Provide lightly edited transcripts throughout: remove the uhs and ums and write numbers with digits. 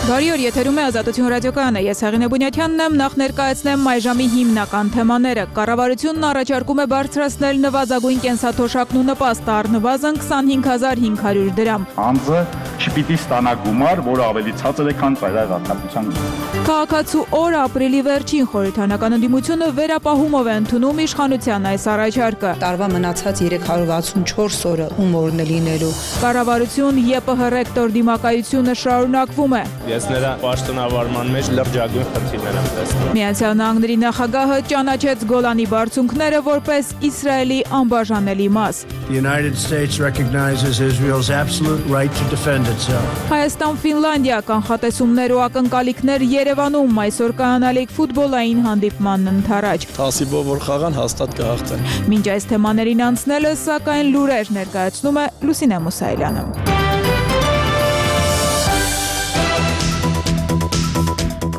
Բարի օր, եթերում է Ազատություն ռադիոկայանը, ես Հեղինե Բունյաթյանն եմ, նախ ներկայացնեմ այժմի հիմնական թեմաները։ Կառավարությունն առաջարկում է բարձրացնել նվազագույն կենսաթոշակն ու նպաստը առնվազն 25,500 դրամ։ Անձը չպիտի ստանա գումար, որը ավելի ցածր է, քան ծայրահեղ արտադրության գումարը։ Քաղաքացու օր ապրիլի վերջին խորհրդանական ընդդիմությունը վերապահումով է ընդունում իշխանության այս առաջարկը։ Տարվա մնացած 364 օրը ում օրն է լինելու։ Կառավարություն ԵՊՀ ռեկտոր դիմակայությունը շարունակվում է։ Ես նրա պաշտոնավարման մեջ լրջագույն խնդիրներ եմ տեսնում։ Միացյալ Նահանգների նախագահը ճանաչեց Գոլանի բարձունքները որպես Իսրայելի անբաժանելի մաս։ The United States recognizes Israel's absolute right to defend itself. Հայաստան-Ֆինլանդիա կանխատեսումներ ու ակնկալիքներ Երևանում այսօր կայանալիք ֆուտբոլային հանդիպմանն ընթരാճ։ Հասիբով որ խաղան հաստատ կհաղթեն։ Մինչ այս թեմաներին անցնելը, սակայն լուրեր ներկայացնում է Լուսինե Մուսայելյանը։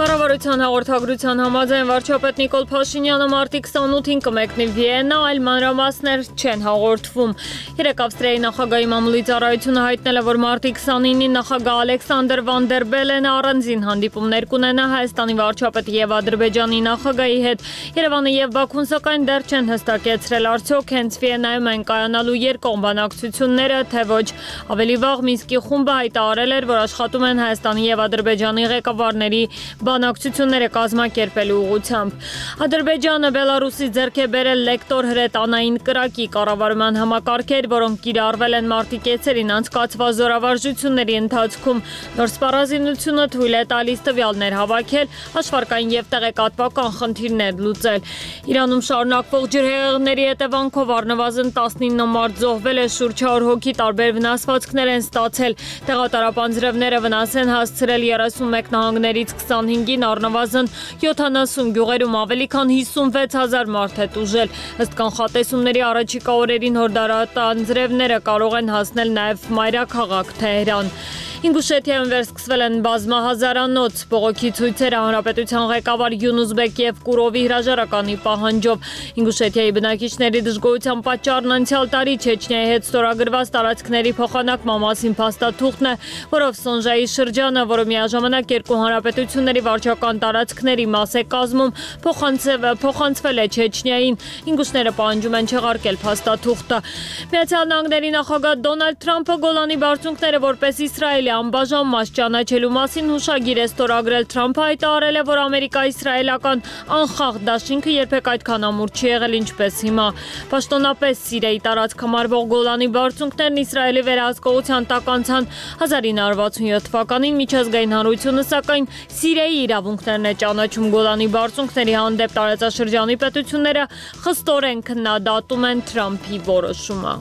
Կառավարության հաղորդագրության համաձայն վարչապետ Նիկոլ Փաշինյանը մարտի 28-ին կմեկնի Վիեննա, այլ մանրամասներ չեն հաղորդվում։ Երեկ Ավստրիայի նախագահի մամուլի ծառայությունը հայտնել է, որ մարտի 29-ին նախագահ Ալեքսանդր Վան դեր Բելենը առանձին հանդիպումներ կունենա Հայաստանի վարչապետի եւ Ադրբեջանի նախագահի հետ։ Երևանը եւ Բաքուն սակայն դեռ չեն հստակեցրել արդյոք հենց Վիեննայում են կայանալու երկկողմ բանակցությունները, թե ոչ։ Ավելի վաղ Մինսկի խումբը հայտարարել էր, որ աշխատում են Հայաստանի եւ Ադրբեջանի ղեկավարների բանակցությունները կազմակերպելու ուղղությամբ։ Ադրբեջանը Բելարուսի ձեռք է բերել լեկտոր հրետանային կրակի կառավարման համակարգեր, որոնք կիրառվել են մարտի կեսերին անցկացված զորավարժությունների ընթացքում։ Նոր սպառազինությունը թույլ է տալիս տվյալներ հավաքել, հաշվարկային եւ տեղեկատվական խնդիրներ լուծել։ Իրանում շարունակվող ջրհեղեղների հետևանքով առնվազն 19 մարդ զոհվել է, շուրջ 100 հոգի տարբեր վնասվածքներ են ստացել։ Տեղատարապանձրևները վնաս են հասցրել 31 նահանգներից 25-ին առնվազն 70 գյուղերում ավելի քան 56,000 մարդ է տուժել։ Ըստ կանխատեսումների առաջիկա օրերին հորդարատանձրևները կարող են հասնել նաև մայրաքաղաք Թեհրան։ Ինգուշեթիայում վերսկսվել են բազմահազարանոց բողոքի ցույցերը հանրապետության ղեկավար Յունուսբեկ եւ Կուրովի հրաժարականի պահանջով։ Ինգուշեթիայի բնակիչների դժգոհության պատճառն անցյալ տարի Չեչնիայի հետ ստորագրված տարածքների փոխանակման մասին փաստաթուղթն է, որով Սոնժայի շրջանը, որը միաժամանակ երկու հանրապետությունների վարչական տարածքների մաս է կազմում, փոխանցվել է Չեչնիային։ Ինգուշները պահանջում են չեղարկել փաստաթուղթը։ Միացյալ Նահանգների նախագահ Դոնալդ Թրամփը Գոլանի բարձունքները որպես Իսրայելի անբաժան մաս ճանաչելու մասին հուշագիր է ստորագրել։ Թրամփը հայտարարել է, որ Ամերիկա-իսրայելական անխախտ դաշինքը երբեք այդքան ամուր չի եղել, ինչպես հիմա։ Պաշտոնապես Սիրիայի տարածք համարվող Գոլանի բարձունքներն Իսրայելի վերահսկողության տակ անցան 1967 թվականին միջազգային հանրությունը սակայն Սիրիայի իրավունքներն է ճանաչում Գոլանի բարձունքների հանդեպ տարածաշրջանի պետությունները խստորեն քննադատում են Թրամփի որոշումը։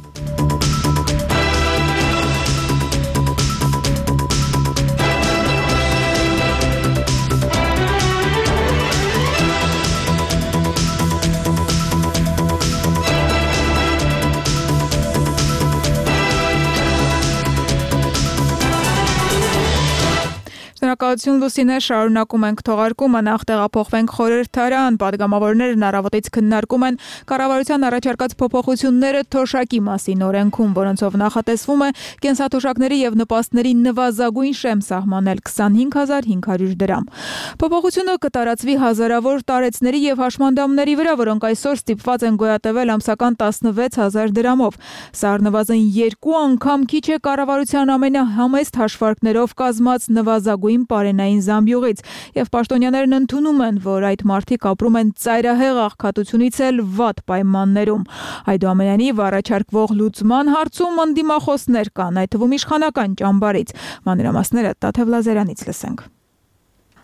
Շնորհակալություն Լուսինե, շարունակում ենք թողարկումը, նախ տեղափոխվենք խորհրդարան, պատգամավորներն առավոտից քննարկում են կառավարության առաջարկած փոփոխությունները թոշակի մասին օրենքում, որոնցով նախատեսվում է կենսաթոշակների եւ նպաստների նվազագույն շեմ սահմանել 25,500 դրամ։ Փոփոխությունը կտարածվի հազարավոր տարեցների եւ հաշմանդամների վրա, որոնք այսօր ստիպված են գոյատևել ամսական 16,000 դրամով։ Սա առնվազն 2 անգամ քիչ է կառավարության ամենահամեստ հաշվարկներով կազմած նվազագույն պարենային զամբյուղից, եւ պաշտոնյաներն ընդունում են, որ այդ մարդիկ ապրում են ծայրահեղ աղքատությունից էլ վատ պայմաններում։ Այդուամենայնիվ առաջարկվող լուծման հարցում ընդդիմախոսներ կան, այդ թվում իշխանական ճամբարից։ Մանրամասները Տաթև Լազարյանից լսենք։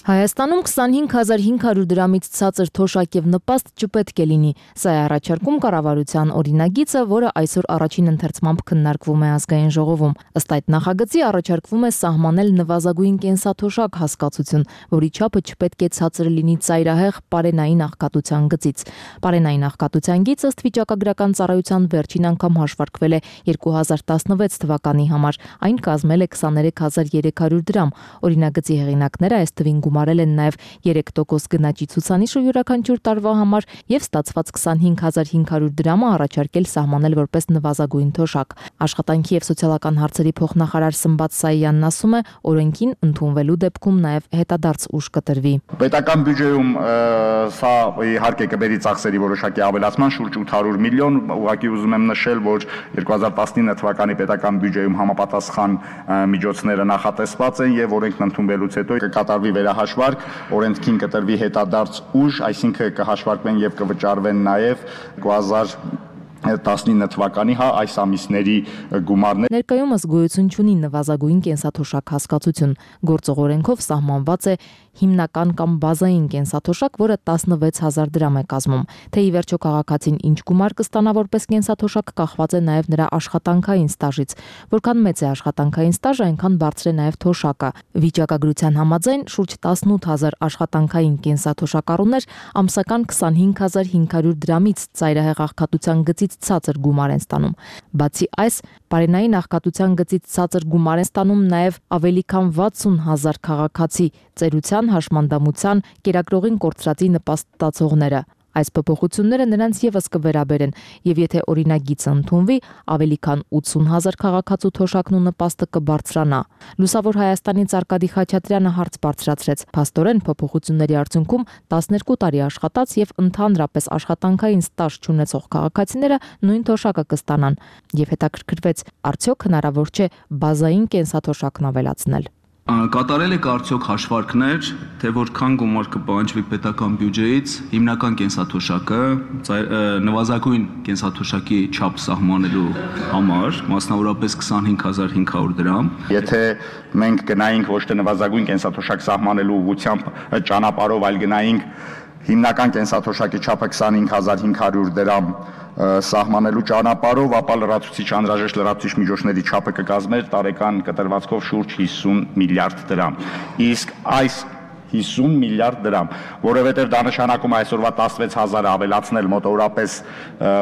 Հայաստանում 25,500 դրամից ցածր թոշակ եւ նպաստ չպետք է լինի։ Սա է առաջարկում կառավարության օրինագիծը, որը այսօր առաջին ընթերցմամբ քննարկվում է ազգային ժողովում։ Ըստ այդ նախագծի առաջարկվում է սահմանել նվազագույն կենսաթոշակ հասկացություն, որի չափը չպետք է ցածր լինի ծայրահեղ պարենային աղքատության գծից։ Պարենային աղքատության գիծը ըստ վիճակագրական ծառայության վերջին անգամ հաշվարկվել է 2016 թվականի համար։ Այն կազմել է 23300 դրամ։ Օրինագծի հեղինակները այս թվին գումարել են նաև 3% գնաճի ցուցանիշը յուրաքանչյուր տարվա համար եւ ստացված 25500 դրամը առաջարկել սահմանել որպես նվազագույն թոշակ։ Աշխատանքի եւ սոցիալական հարցերի փոխնախարար Սմբատ Սայյանն ասում է, օրենքին ընդունվելու դեպքում նաև հետադարձ ուժ կտրվի։ Պետական բյուջեում սա իհարկե կբերի ծախսերի որոշակի ավելացման շուրջ 800 միլիոն, ուղղակի ուզում եմ նշել, որ 2019 թվականի պետական բյուջեում համապատասխան միջոցները նախատեսված են եւ օրենքն ընդունվելուց հետո կկատարվի վերահաշվարկ, օրենքին կտրվի հետադարձ ուժ, այսինքն կհաշվարկվեն եւ կվճարվեն նաեւ 2019 թվականի այս ամիսների գումարներ։ Ներկայումս գոյություն չունի նվազագույն կենսաթոշակ հասկացություն։ Գործող օրենքով սահմանված է հիմնական կամ բազային կենսաթոշակ, որը 16000 դրամ է կազմում։ Թե ի վերջո քաղաքացին ինչ գումար կստանա որպես կենսաթոշակ, կախված է նաև նրա աշխատանքային ստաժից։ Որքան մեծ է աշխատանքային ստաժը, այնքան բարձր է նաև թոշակը։ Վիճակագրության համաձայն շուրջ 18000 աշխատանքային կենսաթոշակառուներ ամսական 25500 դրամից ծայրահեղ աղքատության գծից ցածր գումար են ստանում։ Բացի այս, բարենային աղքատության գծից ցածր գումար են ստանում նաև ավելի քան 60000 քաղաքացի ծերության, հաշմանդամության, կերակրողին կորցրածի նպաստ ստացողները։ Այս փոփոխությունները նրանց եւս կվերաբերեն, եւ եթե օրինագիծը ընդունվի, ավելի քան 80000 քաղաքացու թոշակն ու նպաստը կբարձրանա։ Լուսավոր Հայաստանից Արկադի Խաչատրյանը հարց բարձրացրեց. Փաստորեն փոփոխությունների արդյունքում 12 տարի աշխատած եւ ընդհանրապես աշխատանքային ստաժ չունեցող քաղաքացիները նույն թոշակը կստանան, եւ հետաքրքրվեց, արդյոք հնարավոր չէ բազային կենսաթոշակն ավելացնել։ Կատարել եք արդյոք հաշվարկներ, թե որքան գումար կպահանջվի պետական բյուջեից հիմնական կենսաթոշակը նվազագույն կենսաթոշակի չափ սահմանելու համար, մասնավորապես 25500 դրամ։ Եթե մենք գնայինք ոչ թե նվազագույն կենսաթոշակ սահմանելու ուղղությամբ ճանապարհով, այլ գնայինք հիմնական կենսաթոշակի չափը 25500 դրամ սահմանելու ճանապարհով, ապա լրացուցիչ անհրաժեշտ լրացուցիչ միջոցների չափը կկազմեր տարեկան կտրվածքով շուրջ 50 միլիարդ դրամ։ Իսկ այս 50 միլիարդ դրամ, որովհետև դա նշանակում է այսօրվա 16000-ը ավելացնել մոտավորապես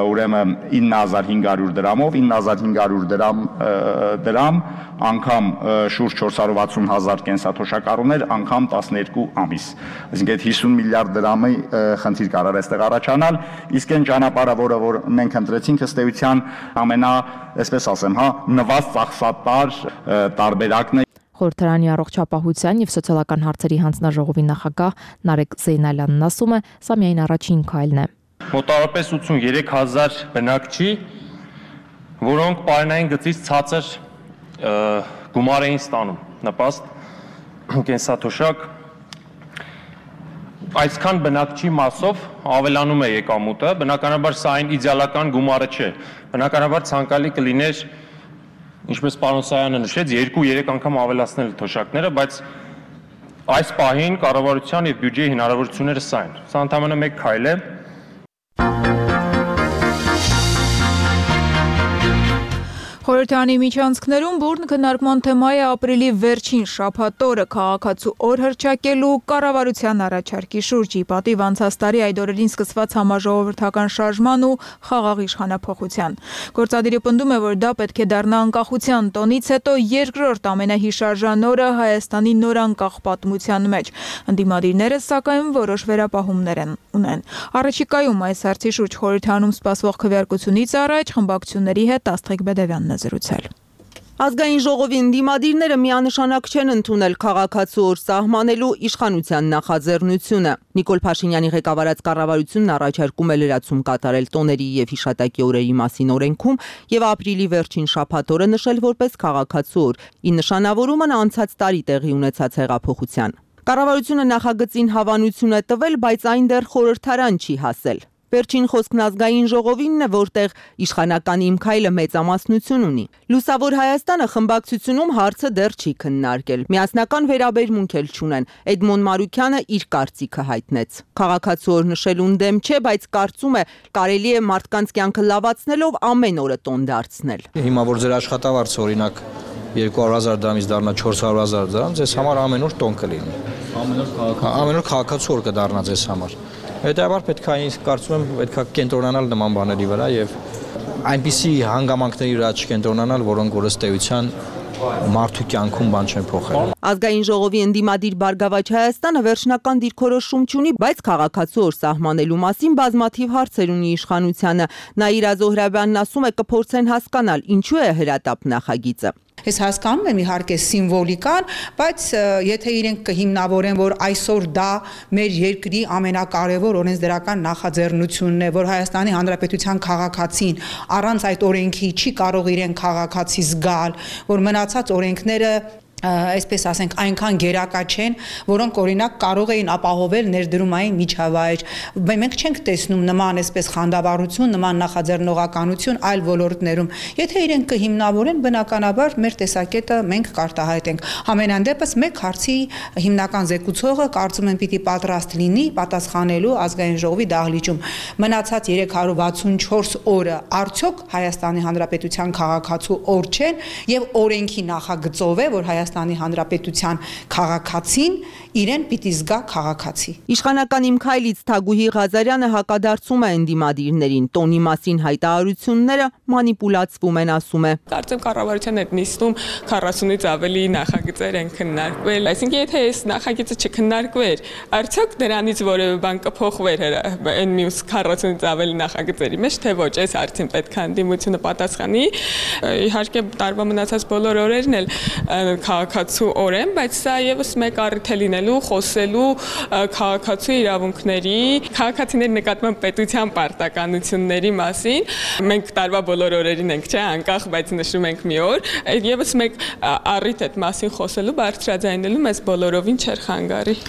ուրեմն 9500 դրամով, 9500 դրամ անգամ շուրջ 460000 կենսաթոշակառուներ անգամ 12 ամիս։ Այսինքն այդ 50 միլիարդ դրամի խնդիր կարող է այստեղ առաջանալ, իսկ այն ճանապարհը, որ մենք ընտրեցինք, ըստ էության այսպես ասեմ, նվազ ծախսատար տարբերակն է։ Խորհրդարանի առողջապահության եւ սոցիալական հարցերի հանձնաժողովի նախագահ Նարեկ Զեյնալյանն ասում է, սա միայն առաջին քայլն է։ Մոտավորապես 83000 բնակչի, որոնք պարենային գծից ցածր գումար էին ստանում, նպաստ կենսաթոշակ, այսքան բնակչի մասով ավելանում է եկամուտը, բնականաբար սա այն իդեալական գումարը չէ, բնականաբար ցանկալի կլիներ, ինչպես պարոն Սայանը նշեց, 2-3 անգամ ավելացնել թոշակները, բայց այս պահին կառավարության եւ բյուջեի հնարավորությունները սա են։ Սա ընդհանրապես մեկ քայլ է։ Խորհրդարանի միջանցքներում բուրն քննարկման թեմա է ապրիլի վերջին շաբաթօրը քաղաքացու օր հռչակելու կառավարության առաջարկի շուրջ, ի պատիվ անցած տարի այդ օրերին սկսված համաժողովրդական շարժման ու խաղաղ իշխանափոխության։ Գործադիրը պնդում է, որ դա պետք է դառնա անկախության տոնից հետո երկրորդ ամենահիշարժան օրը Հայաստանի նորանկախ պատմության մեջ։ Ընդդիմադիրները սակայն որոշ վերապահումներ ունեն։ Առաջիկայում այս հարցի շուրջ խորհրդարանում սպասվող քվեարկությունից առաջ խմբակցությունների հետ Աստղիկ Բեդևյանն զրուցել։ Ազգային ժողովի ընդդիմադիրները միանշանակ չեն ընդունել քաղաքացու օր սահմանելու իշխանության նախաձեռնությունը։ Նիկոլ Փաշինյանի ղեկավարած կառավարությունն առաջարկում է լրացում կատարել տոների եւ հիշատակի օրերի մասին օրենքում եւ ապրիլի վերջին շաբաթօրը նշել որպես քաղաքացու օր՝ ի նշանավորումն անցած տարի տեղի ունեցած հեղափոխության։ Կառավարությունը նախագծին հավանություն է տվել, բայց այն դեռ խորհրդարան չի հասել։ Վերջին խոսքն ազգային ժողովինն է, որտեղ իշխանական իմ քայլը մեծամասնություն ունի։ Լուսավոր Հայաստանը խմբակցությունում հարցը դեռ չի քննարկել։ Միասնական վերաբերմունք էլ չունեն։ Էդմոն Մարուկյանը իր կարծիքը հայտնեց։ Քաղաքացու օր նշելուն դեմ չէ, բայց կարծում է կարելի է մարդկանց կյանքը լավացնելով ամեն օրը տոն դարձնել։ Հիմա որ ձեր աշխատավարձը օրինակ 200,000 դրամից դառնա 400,000 դրամ, ձեզ համար ամեն օր տոն կլինի։ Ամեն օր քաղաքացու օր կդառնա ձեզ համար։ Հետևաբար պետք է ինձ կարծում եմ պետք է կենտրոնանալ նման բաների վրա եւ այնպիսի հանգամանքների վրա չկենտրոնանալ, որոնք որ ըստ էության մարդու կյանքում բան չեն փոխել։ Ազգային ժողովի ընդդիմադիր Բարգավաճ Հայաստանը վերջնական դիրքորոշում չունի, բայց քաղաքացու օր սահմանելու մասին բազմաթիվ հարցեր ունի իշխանությանը։ Նաիրա Զոհրաբյանն ասում է կփորձեն հասկանալ ինչու է հրատապ նախագիծը։ Ես հասկանում եմ իհարկե սիմվոլիկան, բայց եթե իրենք կհիմնավորեն, որ այսօր դա մեր երկրի ամենակարևոր օրենսդրական նախաձեռնությունն է, որ Հայաստանի Հանրապետության քաղաքացին առանց այդ օրենքի չի կարող իրեն քաղաքացի զգալ, որ մնացած օրենքները այսպես ասենք այնքան գերակա չեն, որոնք օրինակ կարող էին ապահովել ներդրումային միջավայր։ Մենք չենք տեսնում նման այսպես խանդավառություն, նման նախաձեռնողականություն այլ ոլորտներում։ Եթե իրենք կհիմնավորեն, բնականաբար մեր տեսակետը մենք կարտահայտենք։ Համենայն դեպս մեկ հարցի հիմնական զեկուցողը կարծում եմ պիտի պատրաստ լինի պատասխանելու ազգային ժողովի դահլիճում։ Մնացած 364 օրը արդյոք Հայաստանի Հանրապետության քաղաքացու օր չեն եւ օրենքի նախագծով է, որ Հայաստանի Հանրապետության քաղաքացին իրեն պիտի զգա քաղաքացի։ Իշխանական Իմ քայլից Թագուհի Ղազարյանը հակադարձում է ընդդիմադիրներին, տոնի մասին հայտարարությունները մանիպուլացվում են, ասում է։ Կարծեմ կառավարության այդ նիստում 40-ից ավելի նախագծեր են քննարկվել, այսինքն եթե այս նախագիծը չքննարկվեր, արդյոք դրանից որևէ բան կփոխվեր այն մյուս 40-ից ավելի նախագծերի մեջ, թե ոչ, այս հարցին պետք է ընդդիմությունը պատասխանի։ Իհարկե տարվա մնացած բոլոր օրերն էլ քաղաքացու օր են, բայց սա եւս մեկ առիթ է լինելու խոսելու քաղաքացու իրավունքների, քաղաքացիների նկատմամբ պետության պարտականությունների մասին։ Մենք տարվա բոլոր օրերին ենք, չէ, անկախ, բայց նշում ենք մի օր, եւս մեկ առիթ այդ մասին խոսելու, բարձրաձայնելու մեզ բոլորովին չէր խանգարի։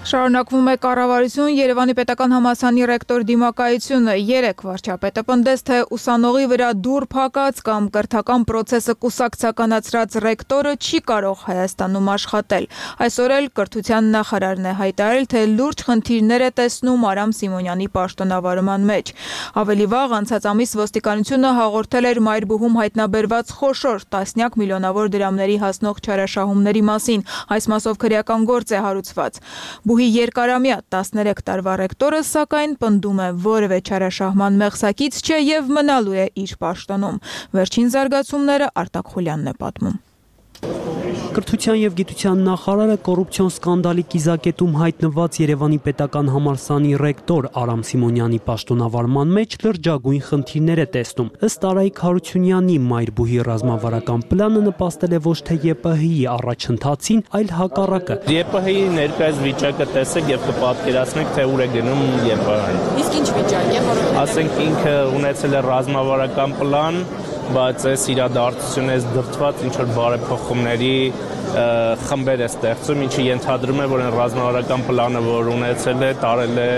Շարունակվում է կառավարություն Երևանի պետական համալսարանի ռեկտոր դիմակայությունը 3 վարչապետը պնդեց, թե ուսանողի վրա դուռ փակած կամ կրթական process-ը կուսակցականացրած ռեկտորը չի կարող Հայաստանում աշխատել։ Այսօր էլ կրթության նախարարն է հայտարարել, թե լուրջ խնդիրներ է տեսնում Արամ Սիմոնյանի պաշտոնավարման մեջ։ Ավելի վաղ անցած ամիս ոստիկանությունը հաղորդել էր Մայրբուհում հայտնաբերված խոշոր տասնյակ միլիոնավոր դրամների հասնող չարաշահումների մասին։ Այս մասով քրեական գործ է հարուցված։ Բուհի երկարամյա 13 տարվա ռեկտորը սակայն պնդում է որևէ չարաշահման մեղսակից չէ եւ մնալու է իր պաշտոնում։ Վերջին զարգացումները Արտակ Խուլյանն է պատմում։ Կրթության եւ գիտության նախարարը կոռուպցիոն սկանդալի կիզակետում հայտնված Երևանի պետական համալսարանի ռեկտոր Արամ Սիմոնյանի պաշտոնավարման մեջ լրջագույն խնդիրներ է տեսնում։ Ըստ Արայիկ Հարությունյանի Մայրբուհի ռազմավարական պլանը նպաստել է ոչ թե ԵՊՀ-ի առաջընթացին, այլ հակառակը։ ԵՊՀ-ի ներկայիս վիճակը տեսեք եւ կպատկերացնեք, թե ուր է գնում ԵՊՀ-ն։ Իսկ ինչ վիճակ է, որովհետեւ ասենք ինքը ունեցել է ռազմավարական պլան, բայց այս իրադարձությունը դրդված ինչ որ բարեփոխումների խմբեր է ստեղծում, ինչը ենթադրում է, որ այն ռազմավարական պլանը, որ ունեցել է, տարել է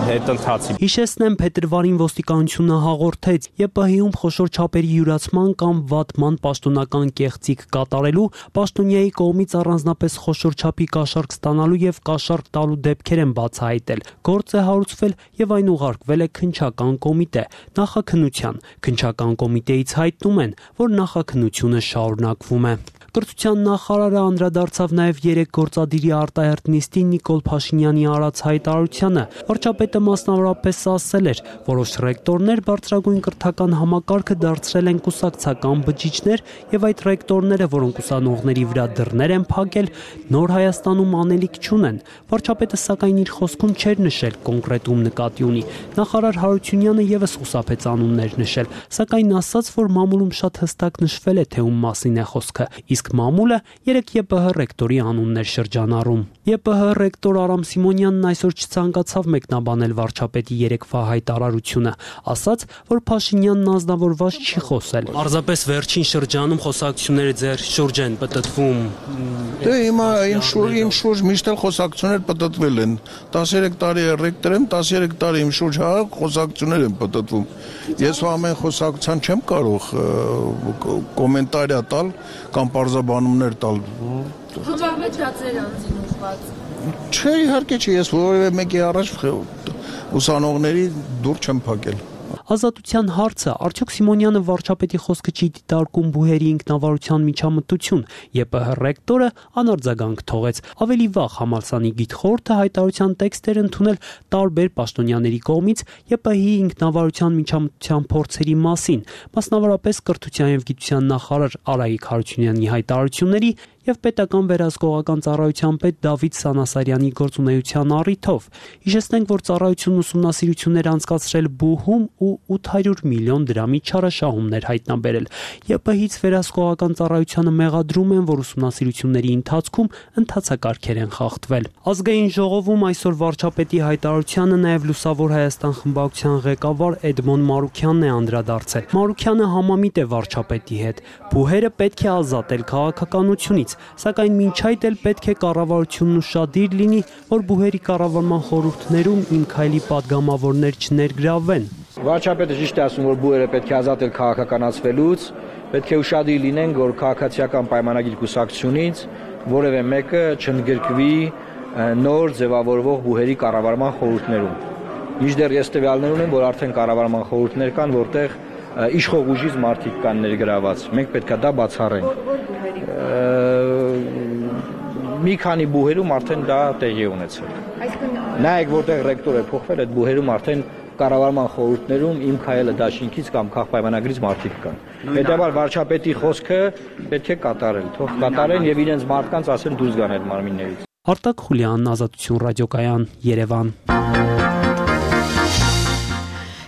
հետընթացի։ Հիշեցնեմ, փետրվարին ոստիկանությունը հաղորդեց ԵՊՀ-ում խոշոր չափերի յուրացման կամ վատման պաշտոնական կեղծիք կատարելու, պաշտոնյայի կողմից առանձնապես խոշոր չափի կաշառք ստանալու եւ կաշառք տալու դեպքեր են բացահայտել։ Գործ է հարուցվել եւ այն ուղարկվել է քննչական կոմիտե, նախաքննության։ Քննչական կոմիտեից հայտնում են, որ նախաքննությունը շարունակվում է։ Կրթության նախարարը անդրադարձավ նաև 3 գործադիրի արտահերթ նիստին Նիկոլ Փաշինյանի արած հայտարարությանը։ Վարչապետը մասնավորապես ասել էր, որոշ ռեկտորներ բարձրագույն կրթական համակարգը դարձրել են կուսակցական բջիջներ եւ այդ ռեկտորները, որոնք ուսանողների վրա դռներ են փակել, նոր Հայաստանում անելիք չունեն։ Վարչապետը սակայն իր խոսքում չէր նշել կոնկրետ ում նկատի ունի։ Նախարար Հարությունյանը եւս խուսափեց անուններ նշել, սակայն ասաց, որ մամուլում շատ հստակ նշվել է, թե ում մասին է խոսքը։ Իսկ մամուլը 3 ԵՊՀ ռեկտորի անուններ շրջանառում։ ԵՊՀ ռեկտոր Արամ Սիմոնյանն այսօր չցանկացավ մեկնաբանել վարչապետի 3-վա հայտարարությունը, ասաց, որ Փաշինյանն անձնավորված չի խոսել։ Պարզապես վերջին շրջանում խոսակցությունները ձեր շուրջ են պտտվում։ Դե հիմա իմ շուրջ միշտ էլ խոսակցություններ պտտվել են։ 13 տարի է ռեկտոր եմ, 13 տարի իմ շուրջ խոսակցություններ են պտտվում։ Ես ամեն խոսակցության չեմ կարող կոմենտարիա տալ կամ պարզաբանումներ տալ։ Խմբավորվածներ անձին ուղղված։ Չէ, իհարկե չի, ես որևէ մեկի առաջ ուսանողների դուռ չեմ փակել։ Ազատության հարցը արդյոք Սիմոնյանը վարչապետի խոսքը չի դիտարկում բուհերի ինքնավարության միջամտություն, ԵՊՀ ռեկտորը անարձագանք թողեց։ Ավելի վաղ համալսանի գիտխորհուրդը հայտարարության տեքստեր ընդունել տարբեր պաշտոնյաների կողմից ԵՊՀ-ի ինքնավարության միջամտության փորձերի մասին, մասնավորապես կրթության եւ գիտության նախարար Արայիկ Հարությունյանի հայտարարությունների եւ պետական վերահսկողական ծառայության պետ Դավիթ Սանասարյանի գործունեության առիթով։ Հիշեցնենք, որ ծառայությունն ուսումնասիրություններ անցկացրել բուհում ու 800 միլիոն դրամի չարաշահումներ հայտնաբերել։ ԵՊՀ-ից վերահսկողական ծառայությանը մեղադրում են, որ ուսումնասիրությունների ընթացքում ընթացակարգեր են խախտվել։ Ազգային ժողովում այսօր վարչապետի հայտարարությանը նաեւ Լուսավոր Հայաստան խմբակցության ղեկավար Էդմոն Մարուքյանն է անդրադարձել։ Մարուքյանը համամիտ է վարչապետի հետ։ Բուհերը պետք է ազատել քաղաքականությունից, սակայն մինչ այդ էլ պետք է կառավարությունն ուշադիր լինի, որ բուհերի կառավարման խորհուրդներում Իմ քայլի падգամավորներ չներգրավվեն։ Վարչապետը ճիշտ է ասում, որ բուհերը պետք է ազատել քաղաքականացվելուց, պետք է ուշադիր լինենք, որ քաղաքացիական պայմանագիր կուսակցությունից որևէ մեկը չընդգրկվի նոր ձևավորվող բուհերի կառավարման խորհուրդներում։ Մինչդեռ ես տվյալներ ունեմ, որ արդեն կառավարման խորհուրդներ կան, որտեղ իշխող ուժից մարդիկ կան ներգրաված։ Մենք պետք է դա բացառենք։ Մի քանի բուհերում արդեն դա տեղի ունեցել։ Նայեք, որտեղ ռեկտորը փոխվել, այդ բուհերում արդեն կառավարման խորհուրդներում Իմ քայլը դաշինքից կամ քաղաքապայմանագրից մարդիկ կան։ Հետևաբար վարչապետի խոսքը պետք է կատարել, թող կատարեն եւ իրենց մարդկանց ասեն դուրս գան այդ մարմիններից։ Արտակ Խուլյան, Ազատություն ռադիոկայան, Երևան։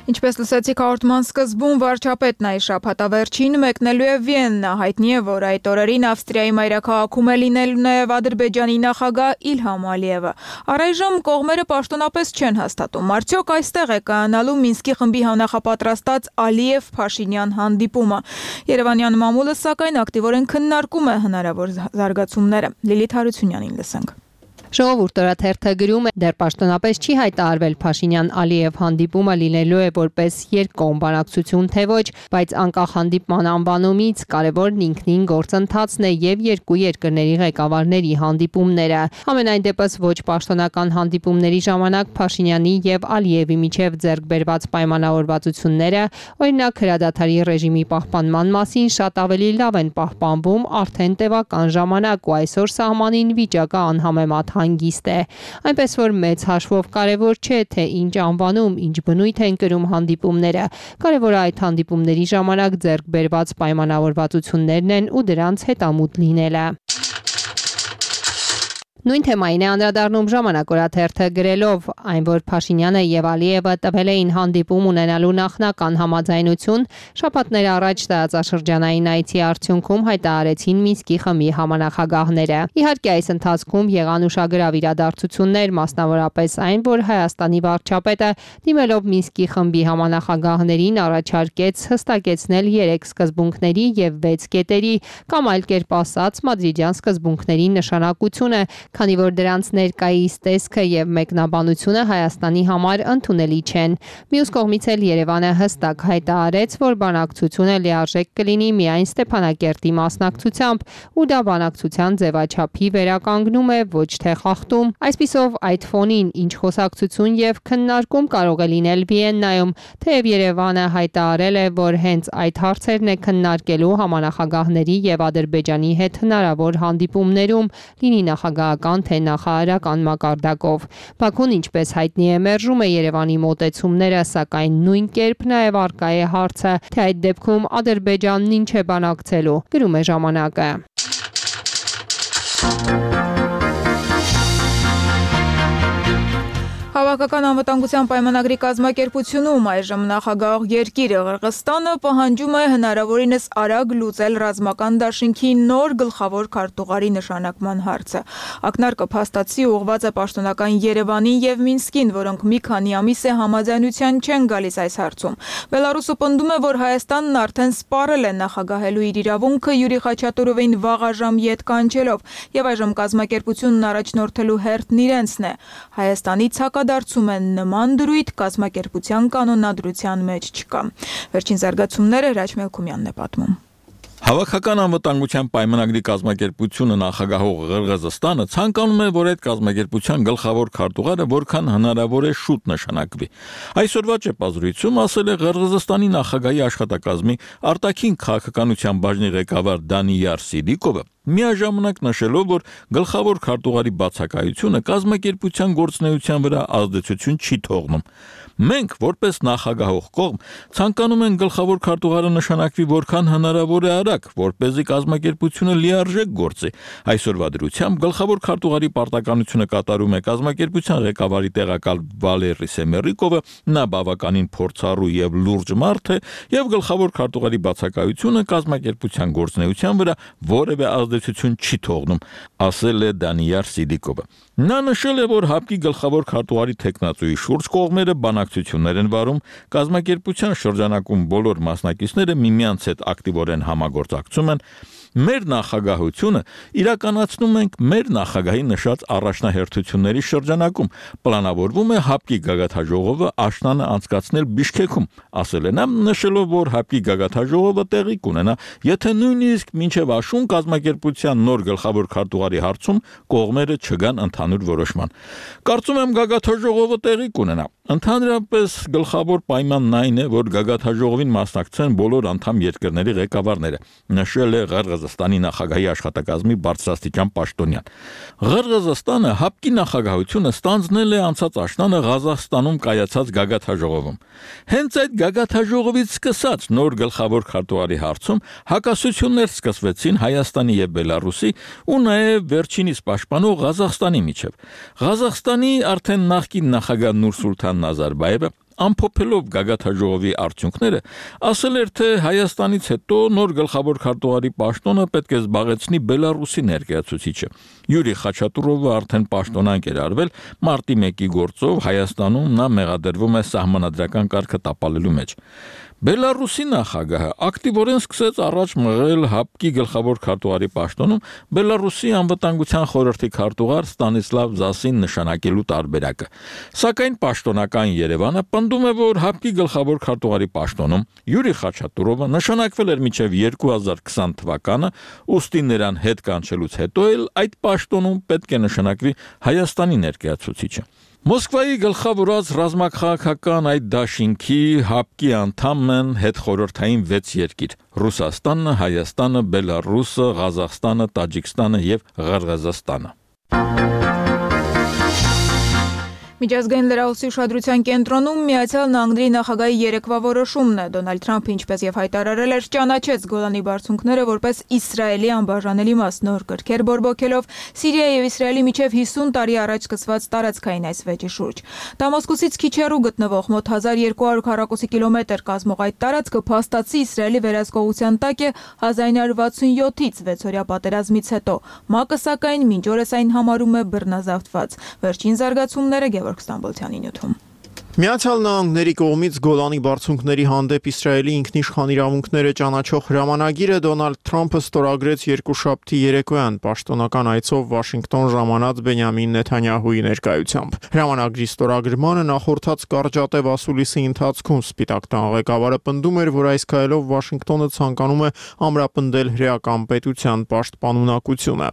Ինչպես լսեցիք հաղորդման սկզբում, վարչապետն այս շաբաթավերջին մեկնելու է Վիեննա, հայտնի է, որ այդ օրերին Ավստրիայի մայրաքաղաքում է լինելու նաև Ադրբեջանի նախագահ Իլհամ Ալիևը։ Առայժմ կողմերը պաշտոնապես չեն հաստատում, արդյոք այստեղ է կայանալու Մինսկի խմբի նախապատրաստած Ալիև-Փաշինյան հանդիպումը։ Երևանյան մամուլը սակայն ակտիվորեն քննարկում է հնարավոր զարգացումները։ Լիլիթ Հարությունյանին լսենք։ Ժողովուրդ օրաթերթը գրում է, դեռ պաշտոնապես չի հայտարարվել Փաշինյան-Ալիև հանդիպումը լինելու է որպես երկկողմ բանակցություն թե ոչ, բայց անկախ հանդիպման անվանումից կարևորն ինքնին գործընթացն է եւ երկու երկրների ղեկավարների հանդիպումները։ Համենայն դեպս ոչ պաշտոնական հանդիպումների ժամանակ Փաշինյանի եւ Ալիևի միջև ձեռք բերված պայմանավորվածությունները, օրինակ հրադադարի ռեժիմի պահպանման մասին, շատ ավելի լավ են պահպանվում արդեն տևական ժամանակ ու այսօր սահմանին վիճակը անհամեմատ հանգիստ է։ Այնպես որ մեծ հաշվով կարևոր չէ, թե ինչ անվանում, ինչ բնույթ են կրում հանդիպումները։ Կարևորը այդ հանդիպումների ժամանակ ձեռք բերված պայմանավորվածություններն են ու դրանց հետամուտ լինելը։ Նույն թեմային է անդրադառնում Ժամանակ օրաթերթը գրելով, այն որ Փաշինյանը եւ Ալիևը տվել էին հանդիպում ունենալու նախնական համաձայնություն, շաբաթներ առաջ տարածաշրջանային այցի արդյունքում հայտարարեցին Մինսկի խմբի համանախագահները։ Իհարկե այս ընթացքում եղան ուշագրավ իրադարձություններ, մասնավորապես այն, որ Հայաստանի վարչապետը դիմելով Մինսկի խմբի համանախագահներին առաջարկեց հստակեցնել 3 սկզբունքների եւ 6 կետերի, կամ այլ կերպ ասած մադրիդյան սկզբունքների նշանակությունը, քանի որ դրանց ներկայիս տեսքը եւ մեկնաբանությունը Հայաստանի համար ընդունելի չեն։ Մյուս կողմից էլ Երևանը հստակ հայտարարեց, որ բանակցությունը լիարժեք կլինի միայն Ստեփանակերտի մասնակցությամբ, ու դա բանակցության ձևաչափի վերականգնում է, ոչ թե խախտում։ Այսպիսով այդ ֆոնին ինչ խոսակցություն եւ քննարկում կարող է լինել Վիեննայում, թեև Երևանը հայտարարել է, որ հենց այդ հարցերն է քննարկելու համանախագահների եւ Ադրբեջանի հետ հնարավոր հանդիպումներում, լինի նախագահական թե նախարարական մակարդակով։ Բաքուն, ինչպես հայտնի է, մերժում է Երևանի մոտեցումները, սակայն նույն կերպ նաև առկա է հարցը, թե այդ դեպքում Ադրբեջանն ինչ է բանակցելու, գրում է Ժամանակը։ Հավաքական անվտանգության պայմանագրի կազմակերպությունում այժմ նախագահ երկիրը Ղրղստանը պահանջում է հնարավորինս արագ լուծել ռազմական դաշինքի նոր գլխավոր քարտուղարի նշանակման հարցը։ Ակնարկը փաստացի ուղղված է պաշտոնական Երևանին եւ Մինսկին, որոնք մի քանի ամիս է համաձայնության չեն գալիս այս հարցում։ Բելարուսը պնդում է, որ Հայաստանն արդեն սպառել է նախագահելու իր իրավունքը Յուրի Խաչատուրովին վաղաժամ ետ կանչելով, եւ այժմ կազմակերպությունն առաջնորդելու հերթն իրենցն է։ Հայաստանի դարձում են նման դրույթ կազմակերպության կանոնադրության մեջ չկա։ Վերջին զարգացումները Հրաչ Մելքումյանն է պատմում։ Հավաքական անվտանգության պայմանագրի կազմակերպությունը նախագահող Ղրղըզստանը ցանկանում է, որ այդ կազմակերպության գլխավոր քարտուղարը որքան հնարավոր է շուտ նշանակվի։ Այսօրվա ճեպազրույցում ասել է Ղրղըզստանի նախագահի աշխատակազմի արտաքին քաղաքականության բաժնի ղեկավար Դանիյար Սիդիկովը, միաժամանակ նշելով, որ գլխավոր քարտուղարի բացակայությունը կազմակերպության գործունեության վրա ազդեցություն չի թողնում։ Մենք, որպես նախագահող կողմ, ցանկանում ենք գլխավոր քարտուղարը նշանակվի որքան հնարավոր է արագ, որպեսզի կազմակերպությունը լիարժեք գործի։ Այսօրվա դրությամբ գլխավոր քարտուղարի պարտականությունը կատարում է կազմակերպության ղեկավարի տեղակալ Վալերի Սեմերիկովը, նա բավականին փորձառու եւ լուրջ մարդ է, եւ գլխավոր քարտուղարի բացակայությունը կազմակերպության գործունեության վրա որևէ ազդեցություն չի թողնում, ասել է Դանիյար Սիդիկովը։ Նա նշել է, որ ՀԱՊԿ-ի գլխավոր քարտուղարի տեխնացուի շուրջ կողմերը բանակցություններ են վարում, կազմակերպության շրջանակում բոլոր մասնակիցները միմյանց հետ ակտիվորեն համագործակցում են։ Մեր նախագահությունը իրականացնում ենք մեր նախագահի նշած առաջնահերթությունների շրջանակում։ Պլանավորվում է ՀԱՊԿ-ի գագաթաժողովը աշնանը անցկացնել Բիշքեքում, ասել է նա, նշելով, որ ՀԱՊԿ-ի գագաթաժողովը տեղի կունենա, եթե նույնիսկ մինչև աշուն կազմակերպության նոր գլխավոր քարտուղարի հարցում կողմերը չգան ընդհանուր որոշման։ Կարծում եմ գագաթաժողովը տեղի կունենա։ Ընդհանրապես գլխավոր պայմանն այն է, որ գագաթաժողովին մասնակցեն բոլոր անդամ երկրների ղեկավարները, նշել է Ղրղըզստանի նախագահի աշխատակազմի բարձրաստիճան պաշտոնյան։ Ղրղըզստանը ՀԱՊԿ-ի նախագահությունը ստանձնել է անցած աշնանը Ղազախստանում կայացած գագաթաժողովում։ Հենց այդ գագաթաժողովից սկսած նոր գլխավոր քարտուղարի հարցում հակասություններ սկսվեցին Հայաստանի եւ Բելարուսի ու նաեւ վերջինիս պաշտպանող Ղազախստանի միջև։ Ղազախստանի արդեն նախկին նախագահ Նուրսուլթան Նազարբայևը ամփոփելով գագաթաժողովի արդյունքները, ասել էր, թե Հայաստանից հետո նոր գլխավոր քարտուղարի պաշտոնը պետք է զբաղեցնի Բելարուսի ներկայացուցիչը։ Յուրի Խաչատուրովը արդեն պաշտոնանկ էր արվել մարտի 1-ի գործով Հայաստանում նա մեղադրվում է սահմանադրական կարգը տապալելու մեջ։ Բելարուսի նախագահը ակտիվորեն սկսեց առաջ մղել ՀԱՊԿ-ի գլխավոր քարտուղարի պաշտոնում Բելարուսի անվտանգության խորհրդի քարտուղար Ստանիսլավ Զասին նշանակելու տարբերակը։ Սակայն պաշտոնական Երևանը պնդում է, որ ՀԱՊԿ-ի գլխավոր քարտուղարի պաշտոնում Յուրի Խաչատուրովը նշանակվել էր մինչև 2020 թվականը, ուստի նրան հետ կանչելուց հետո էլ այդ պաշտոնում պետք է նշանակվի Հայաստանի ներկայացուցիչը։ Մոսկվայի գլխավորած ռազմաքաղաքական այդ դաշինքի ՀԱՊԿ-ի անդամ են հետխորհրդային 6 երկիր՝ Ռուսաստանը, Հայաստանը, Բելարուսը, Ղազախստանը, Տաջիկստանը եւ Ղրղըզստանը։ Միջազգային լրահոսի ուշադրության կենտրոնում Միացյալ Նահանգների նախագահի երեկվա որոշումն է։ Դոնալդ Թրամփը, ինչպես եւ հայտարարել էր, ճանաչեց Գոլանի բարձունքները որպես Իսրայելի անբաժանելի մաս, նոր կրքեր բորբոքելով Սիրիայի եւ Իսրայելի միջև 50 տարի առաջ սկսված տարածքային այս վեճի շուրջ։ Դամասկոսից քիչ հեռու գտնվող մոտ 1200 քառակուսի կիլոմետր կազմող այդ տարածքը փաստացի Իսրայելի վերահսկողության տակ է 1967-ից 6-օրյա պատերազմից հետո։ ՄԱԿ-ը սակայն մինչ օրս այն համարում է բռնազավթված։ Վերջին զարգացումները Ստամբոլցյանի նյութում։ Միացյալ Նահանգների կողմից Գոլանի բարձունքների հանդեպ Իսրայելի ինքնիշխան իրավունքները ճանաչող հրամանագիրը Դոնալդ Թրամփը ստորագրեց երկուշաբթի երեկոյան պաշտոնական այցով Վաշինգտոն ժամանած Բենյամին Նեթանյահուի ներկայությամբ։ Հրամանագրի ստորագրմանը նախորդած կարճատև ասուլիսի ընթացքում Սպիտակ տան ղեկավարը պնդում էր, որ այս քայլով Վաշինգտոնը ցանկանում է ամրապնդել հրեական պետության պաշտպանունակությունը։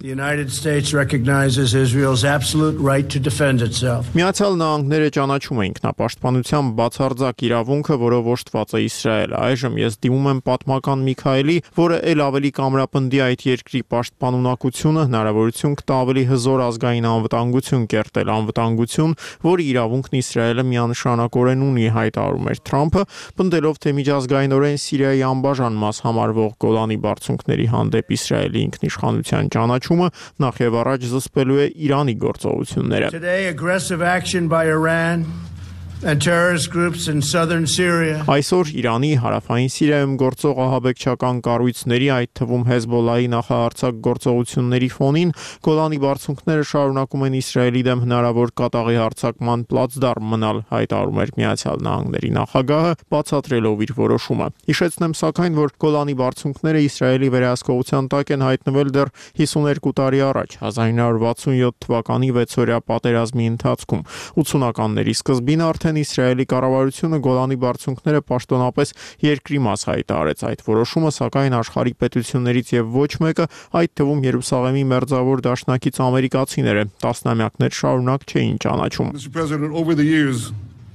Միացյալ Նահանգները ճանաչում է ինքնապաշտպանության բացարձակ իրավունքը, որով օժտված է Իսրայելը։ Այժմ ես դիմում եմ պատմական Միքայելի, որը ել ավելի կամրապնդի այդ երկրի պաշտպանունակությունը, հնարավորություն կտա ավելի հզոր ազգային անվտանգություն կերտել, անվտանգություն, որի իրավունքն Իսրայելը միանշանակորեն ունի, հայտարարում էր Թրամփը, պնդելով, թե միջազգայինորեն Սիրիայի անբաժան մաս համարվող Գոլանի բարձունքների հանդեպ Իսրայելի ինքնիշխանության ճանաչումը նախ եւ առաջ զսպելու է Իրանի գործողությունները։ And terrorist groups in southern Syria. Այսօր Իրանի հարավային Սիրիայում գործող ահաբեկչական կառույցների, այդ թվում Հեզբոլլահի նախահարձակ գործողությունների ֆոնին Գոլանի բարձունքները շարունակում են Իսրայելի դեմ հնարավոր կատաղի հարձակման պլացդարմ մնալ, հայտարարում էր Միացյալ Նահանգների նախագահը, բացատրելով իր որոշումը։ Հիշեցնեմ սակայն, որ Գոլանի բարձունքները Իսրայելի վերահսկողության տակ են հայտնվել դեռ 52 տարի առաջ, 1967 թվականի 6-օրյա պատերազմի ընթացքում։ 80-ականների սկզբին արդեն արդեն Իսրայելի կառավարությունը Գոլանի բարձունքները պաշտոնապես երկրի մաս հայտարարեց։ Այդ որոշումը սակայն աշխարհի պետություններից եւ ոչ մեկը, այդ թվում Երուսաղեմի մերձավոր դաշնակից ամերիկացիները տասնամյակներ շարունակ չէին ճանաչում։ Mr. President, over the years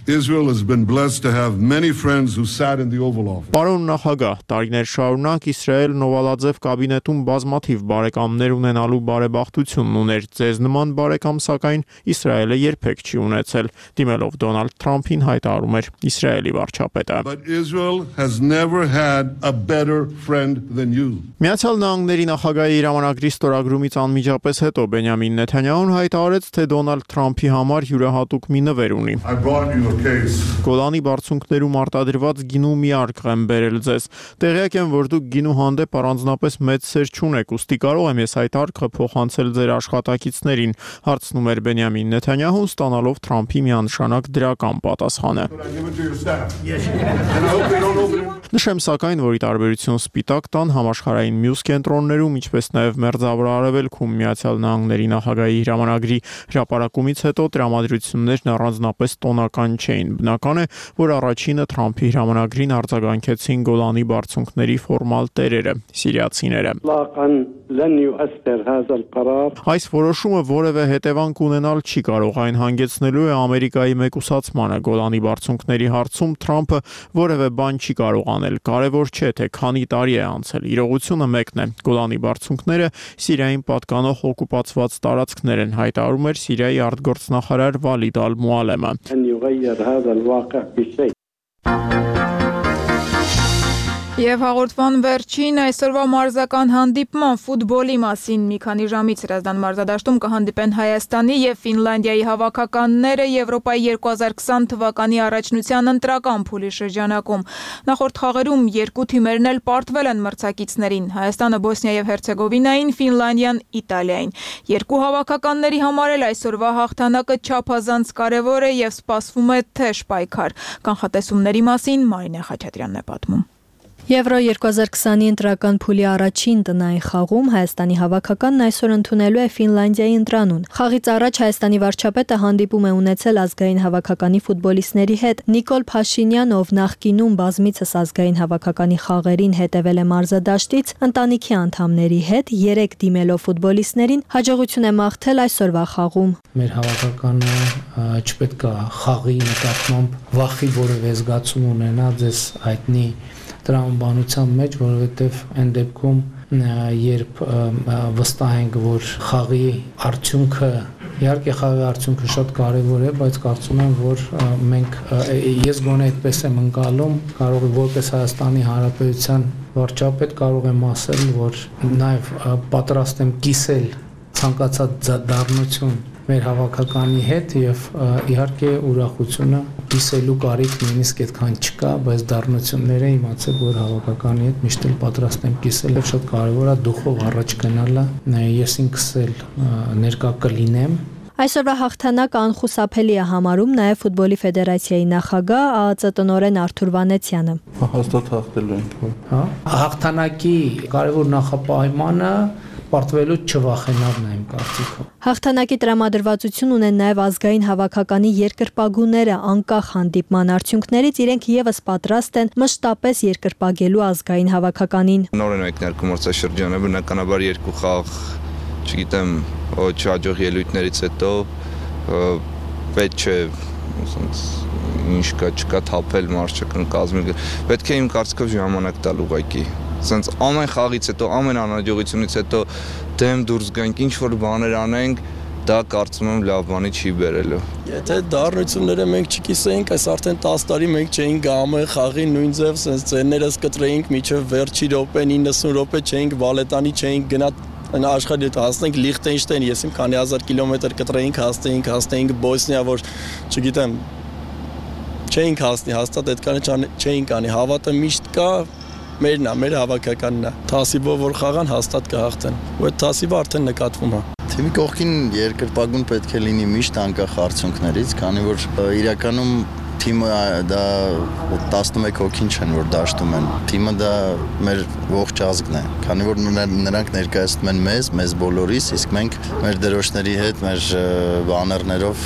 Israel has been blessed to have many friends who sat in the Oval Office. Պարոն նախագահ, տարիներ շարունակ Իսրայելն Օվալաձև կաբինետում բազմաթիվ բարեկամներ ունենալու բարեբախտությունն ուներ։ Ձեզ նման բարեկամ սակայն Իսրայելը երբեք չի ունեցել։ Դիմելով Դոնալդ Թրամփին հայտարարում էր Իսրայելի վարչապետը։ But Israel has never had a better friend than you. Միացյալ Նահանգների նախագահի հրամանագրի ստորագրումից անմիջապես հետո Բենյամին Նեթանյահուն հայտարարեց, թե Դոնալդ Թրամփի համար յուրահատուկ մի նվեր ունի։ Գոլանի բարձունքներում արտադրված գինու մի արկ եմ բերել ձեզ։ Տեղյակ եմ, որ դուք գինու հանդեպ առանձնապես մեծ սեր չունեք, ուստի կարող եմ ես այդ արքը փոխանցել ձեր աշխատակիցներին, հարցնում էր Բենյամին Նեթանյահուն, ստանալով Թրամփի միանշանակ դրական պատասխանը։ Նշեմ սակայն, որ ի տարբերություն Սպիտակ տան համաշխարհային մյուս կենտրոններում, ինչպես նաև Մերձավոր Արևելքում Միացյալ Նահանգների նախագահի հրամանագրի հրապարակումից հետո տրամադրություններն առանձնապես տոնական չէին։ Բնական է, որ առաջինը Թրամփի հրամանագրին արձագանքեցին Գոլանի բարձունքների ֆորմալ տերերը՝ սիրիացիները։ Այս որոշումը որևէ հետևանք ունենալ չի կարող, այն հանգեցնելու է Ամերիկայի մեկուսացմանը։ Գոլանի բարձունքների հարցում Թրամփը որևէ բան չի կարող անել։ Կարևոր չէ, թե քանի տարի է անցել։ Իրողությունը մեկն է։ Գոլանի բարձունքները Սիրիային պատկանող օկուպացված տարածքներ են, հայտարարում էր Սիրիայի արտգործնախարար Վալիդ Ալ-Մուալեմը։ Եվ հաղորդման վերջին այսօրվա մարզական հանդիպման ֆուտբոլի մասին մի քանի ժամից հրազդան մարզադաշտում կհանդիպեն Հայաստանի եւ Ֆինլանդիայի հավաքականները Եվրոպայի 2020 թվականի առաջնության ընտրական փուլի շրջանակում։ Նախորդ խաղերում երկու թիմերն էլ պարտվել են մրցակիցներին՝ Հայաստանը Բոսնիա եւ Հերցեգովինային, Ֆինլանդիան Իտալիային։ Երկու հավաքականների համար էլ այսօրվա հաղթանակը չափազանց կարեւոր է եւ սպասվում է թեժ պայքար։ Կանխատեսումների մասին Մարինե Խաչատրյանն է պատմում։ Եվրո 2020-ի ընտրական փուլի առաջին տնային խաղում Հայաստանի հավաքականն այսօր ընդունելու է Ֆինլանդիայի ընտրանուն։ Խաղից առաջ Հայաստանի վարչապետը հանդիպում է ունեցել ազգային հավաքականի ֆուտբոլիստների հետ։ Նիկոլ Փաշինյան, ով նախկինում բազմիցս ազգային հավաքականի խաղերին հետևել է մարզադաշտից, ընտանիքի անդամների հետ 3 դիմելով ֆուտբոլիստներին հաջողություն է մաղթել այսօրվա խաղում։ Մեր հավաքականը չպետք է խաղի նկատմամբ վախի որևէ զգացում ունենա, ձեզ հայտնի տրամաբանության մեջ, որովհետև այն դեպքում, երբ վստահ ենք, որ խաղի արդյունքը, իհարկե խաղի արդյունքը շատ կարևոր է, բայց կարծում եմ, որ մենք, ես գոնե այդպես եմ ընկալում, կարող է որպես Հայաստանի Հանրապետության վարչապետ կարող եմ ասել, որ նաև պատրաստ եմ կիսել ցանկացած դառնություն մեր հավաքականի հետ եւ իհարկե ուրախությունը կիսելու կարիք նույնիսկ այդքան չկա, բայց դառնությունները իմացեք, որ հավաքականի հետ միշտ էլ պատրաստ եմ կիսել եւ շատ կարեւոր է դուխով առաջ գնալը, ես ինքս էլ ներկա կլինեմ։ Այսօրվա հաղթանակը անխուսափելի է համարում նաև ֆուտբոլի ֆեդերացիայի նախագահ ԱԱԾ տնօրեն Արթուր Վանեցյանը։ Հաստատ հաղթելու ենք, հա։ Հաղթանակի կարևոր նախապայմանը պարտվելու չվախենալն է իմ կարծիքով։ Հաղթանակի տրամադրվածություն ունեն նաև ազգային հավաքականի երկրպագուները, անկախ հանդիպման արդյունքներից իրենք եւս պատրաստ են մշտապես երկրպագելու ազգային հավաքականին։ Նոր են մեկնարկում մրցաշրջանը, բնականաբար երկու խաղ, չգիտեմ, չհաջող ելույթներից հետո պետք չէ ինչ չկա թափել մարշչական կազմել։ Պետք է իմ կարծիքով ժամանակ տալ ուղղակի։ Սենց ամեն խաղից հետո, ամեն անհաջողությունից հետո դեմ դուրս գանք, ինչ որ բաներ անենք, դա կարծում եմ լավ բանի չի բերելու։ Եթե դառնությունները մենք չկիսեինք, այս արդեն 10 տարի մենք չէինք ամեն խաղի նույն ձև, սենց ծերներս կտրեինք միջև վերջի րոպե 90 րոպե չէինք բալետանի չէինք գնա աշխարհի հետ հասնենք Լիխտենշտեյն, ես իմ քանի հազար կիլոմետր կտրեինք, հասնեինք Բոսնիա, որ չգիտեմ չէինք հասնի, հաստատ այդքանը չէինք անի, հավատը միշտ կա, մերն է, մեր հավաքականն է, թասիբով որ խաղան հաստատ կհաղթեն, ու այդ թասիբը արդեն նկատվում է։ Թիմի կողքին երկրպագուն պետք է լինի միշտ անկախ արդյունքներից, քանի որ իրականում թիմը դա 11 հոգին չեն, որ դաշտում են։ Թիմը դա մեր ողջ ազգն է, քանի որ նրանք ներկայացնում են մեզ բոլորիս, իսկ մենք մեր դրոշների հետ, մեր բաներներով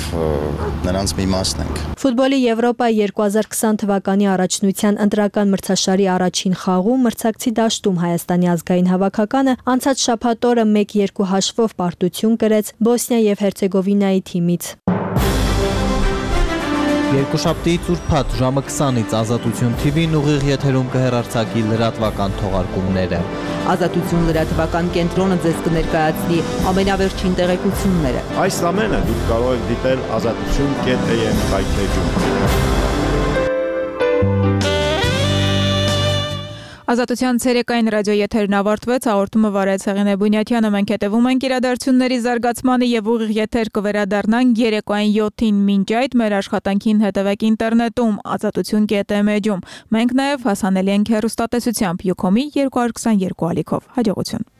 նրանց մի մասն ենք։ Ֆուտբոլի Եվրոպա 2020 թվականի առաջնության ընտրական մրցաշարի առաջին խաղում մրցակցի դաշտում Հայաստանի ազգային հավաքականը անցած շաբաթ օրը 1-2 հաշվով պարտություն կրեց Բոսնիա եւ Հերցեգովինայի թիմից։ Երկուշաբթի ուրբաթ ժամը 20-ից Ազատություն TV-ն ուղիղ եթերում կհեռարձակի լրատվական թողարկումները։ Ազատություն լրատվական կենտրոնը ձեզ կներկայացնի ամենավերջին տեղեկությունները։ Այս ամենը դուք կարող եք դիտել azatutun.am վայթեջում։ Ազատության ցերեկային ռադիո եթերն ավարտվեց, հաղորդումը վարեց Հեղինե Բունյաթյանը, մենք հետևում ենք իրադարձությունների զարգացմանը եւ ուղիղ եթեր կվերադառնանք երեկոային 7-ին, մինչ այդ մեր աշխատանքին հետևեք ինտերնետում azatutun.am-ում։ Մենք նաեւ հասանելի ենք հեռուստատեսությամբ Յուքոմի 222 ալիքով։ Հաջողություն։